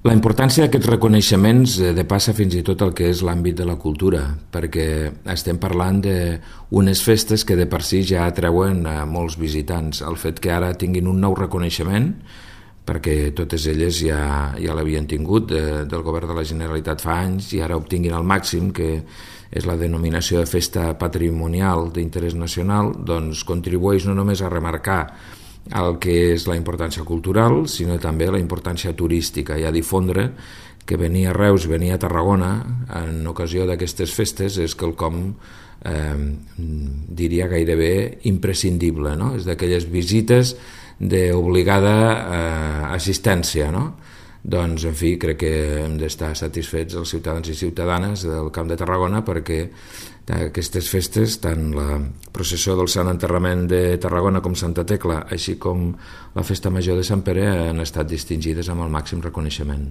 La importància d'aquests reconeixements depassa fins i tot el que és l'àmbit de la cultura, perquè estem parlant d'unes festes que de per si ja atreuen a molts visitants. El fet que ara tinguin un nou reconeixement, perquè totes elles ja l'havien tingut del govern de la Generalitat fa anys i ara obtinguin el màxim, que és la denominació de festa patrimonial d'interès nacional, doncs contribueix no només a remarcar el que és la importància cultural, sinó també la importància turística i a difondre que venir a Reus, venir a Tarragona en ocasió d'aquestes festes és quelcom diria gairebé imprescindible, no? És d'aquelles visites d'obligada assistència, no? Doncs, en fi, crec que hem d'estar satisfets els ciutadans i ciutadanes del Camp de Tarragona perquè aquestes festes, tant la processó del Sant Enterrament de Tarragona com Santa Tecla, així com la Festa Major de Sant Pere, han estat distingides amb el màxim reconeixement.